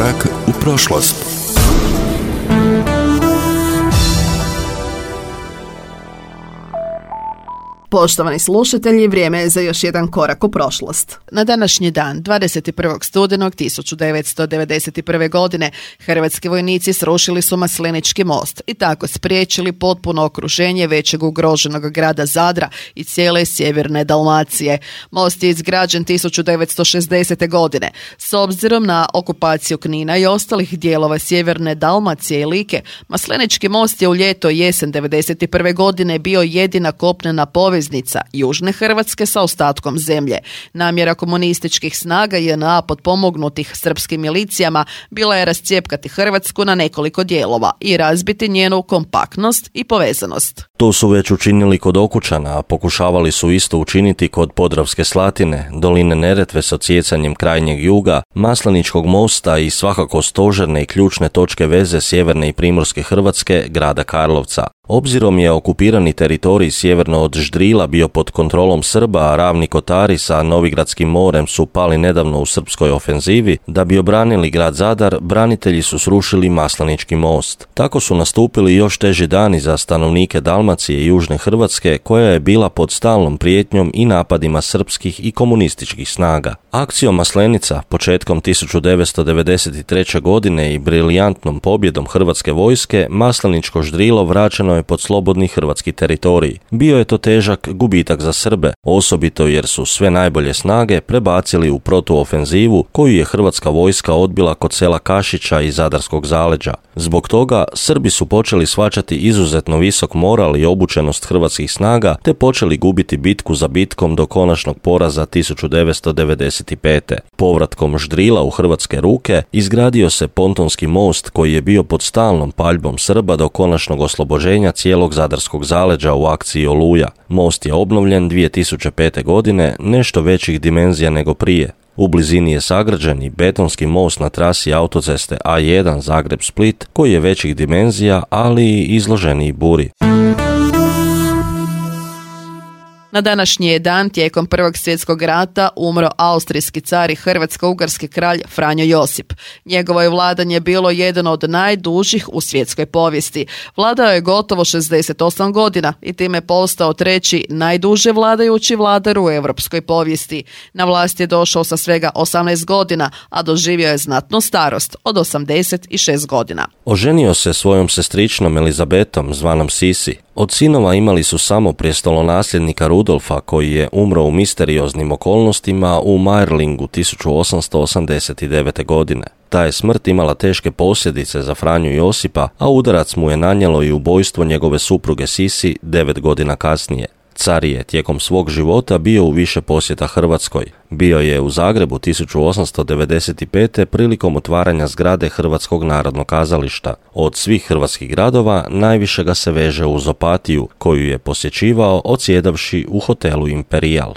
Korak u prošlost. Poštovani slušatelji, vrijeme je za još jedan korak u prošlost. Na današnji dan, 21. studenog 1991. godine, hrvatski vojnici srušili su Maslenički most i tako spriječili potpuno okruženje većeg ugroženog grada Zadra i cijele sjeverne Dalmacije. Most je izgrađen 1960. godine. S obzirom na okupaciju Knina i ostalih dijelova sjeverne Dalmacije i Like, Maslenički most je u ljeto i jesen 1991. godine bio jedina kopnena poveznica južne Hrvatske sa ostatkom zemlje. Namjera komunističkih snaga JNA potpomognutih srpskim milicijama bila je rascijepkati Hrvatsku na nekoliko dijelova i razbiti njenu kompaktnost i povezanost. To su već učinili kod Okučana, a pokušavali su isto učiniti kod Podravske Slatine, doline Neretve s odsjecanjem krajnjeg juga, Masleničkog mosta i svakako stožerne i ključne točke veze sjeverne i primorske Hrvatske, grada Karlovca. Obzirom je okupirani teritorij sjeverno od Ždrila bio pod kontrolom Srba, a Ravni Kotari sa Novigradskim morem su pali nedavno u srpskoj ofenzivi, da bi obranili grad Zadar, branitelji su srušili Maslenički most. Tako su nastupili još teži dani za stanovnike Dalmacije i južne Hrvatske, koja je bila pod stalnom prijetnjom i napadima srpskih i komunističkih snaga. Akcijom Maslenica, početkom 1993. godine i briljantnom pobjedom hrvatske vojske, Masleničko Ždrilo vraćeno je pod slobodni hrvatski teritorij. Bio je to težak gubitak za Srbe, osobito jer su sve najbolje snage prebacili u protuofenzivu koju je hrvatska vojska odbila kod sela Kašića i Zadarskog zaleđa. Zbog toga Srbi su počeli shvaćati izuzetno visok moral i obučenost hrvatskih snaga te počeli gubiti bitku za bitkom do konačnog poraza 1995. Povratkom Ždrila u hrvatske ruke izgradio se pontonski most koji je bio pod stalnom paljbom Srba do konačnog oslobođenja cijelog Zadarskog zaleđa u akciji Oluja. Most je obnovljen 2005. godine, nešto većih dimenzija nego prije. U blizini je sagrađen i betonski most na trasi autoceste A1 Zagreb-Split koji je većih dimenzija, ali i izloženiji buri. Na današnji je dan tijekom Prvog svjetskog rata umro austrijski car i hrvatsko-ugarski kralj Franjo Josip. Njegovo je vladanje bilo jedan od najdužih u svjetskoj povijesti. Vladao je gotovo 68 godina i time postao treći najduže vladajući vladar u europskoj povijesti. Na vlast je došao sa svega 18 godina, a doživio je znatnu starost od 86 godina. Oženio se svojom sestričnom Elizabetom, zvanom Sisi. Od sinova imali su samo prijestolonasljednika Rudolfa, koji je umro u misterioznim okolnostima u Mayerlingu 1889. godine. Ta je smrt imala teške posljedice za Franju Josipa, a udarac mu je nanijelo i ubojstvo njegove supruge Sisi 9 godina kasnije. Car je tijekom svog života bio u više posjeta Hrvatskoj. Bio je u Zagrebu 1895. prilikom otvaranja zgrade Hrvatskog narodnog kazališta. Od svih hrvatskih gradova najviše ga se veže uz Opatiju, koju je posjećivao odsjedavši u hotelu Imperial.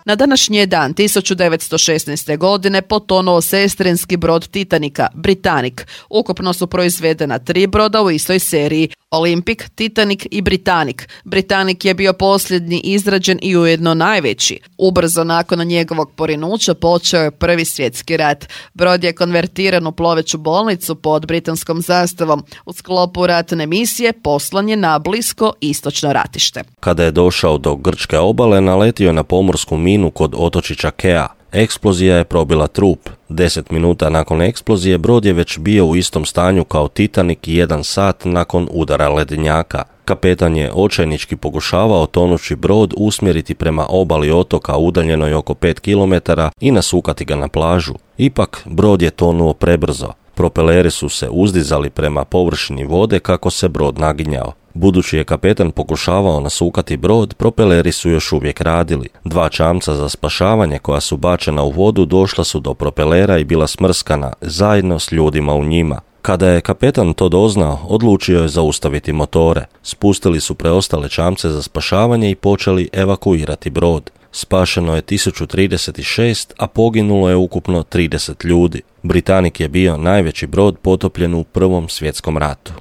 Na današnji je dan 1916. godine potonuo sestrinski brod Titanika, Britannic. Ukupno su proizvedena 3 broda u istoj seriji, Olympic, Titanic i Britannic. Britannic je bio posljednji izrađen i ujedno najveći. Ubrzo nakon njegovog porinuća počeo je Prvi svjetski rat. Brod je konvertiran u ploveću bolnicu pod britanskom zastavom. U sklopu ratne misije poslan je na blisko istočno ratište. Kada je došao do grčke obale, naletio je na pomorsku minu kod otočića Kea. Eksplozija je probila trup. 10 minuta nakon eksplozije brod je već bio u istom stanju kao Titanic 1 sat nakon udara ledenjaka. Kapetan je očajnički pokušavao tonući brod usmjeriti prema obali otoka udaljenoj oko 5 km i nasukati ga na plažu. Ipak brod je tonuo prebrzo. Propeleri su se uzdizali prema površini vode kako se brod naginjao. Budući je kapetan pokušavao nasukati brod, propeleri su još uvijek radili. 2 čamca za spašavanje koja su bačena u vodu došla su do propelera i bila smrskana, zajedno s ljudima u njima. Kada je kapetan to doznao, odlučio je zaustaviti motore. Spustili su preostale čamce za spašavanje i počeli evakuirati brod. Spašeno je 1036, a poginulo je ukupno 30 ljudi. Britannic je bio najveći brod potopljen u Prvom svjetskom ratu.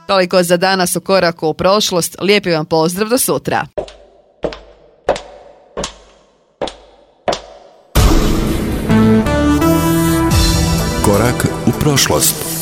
Toliko za danas u koraku u prošlost. Lijepi vam pozdrav do sutra. Korak u prošlost.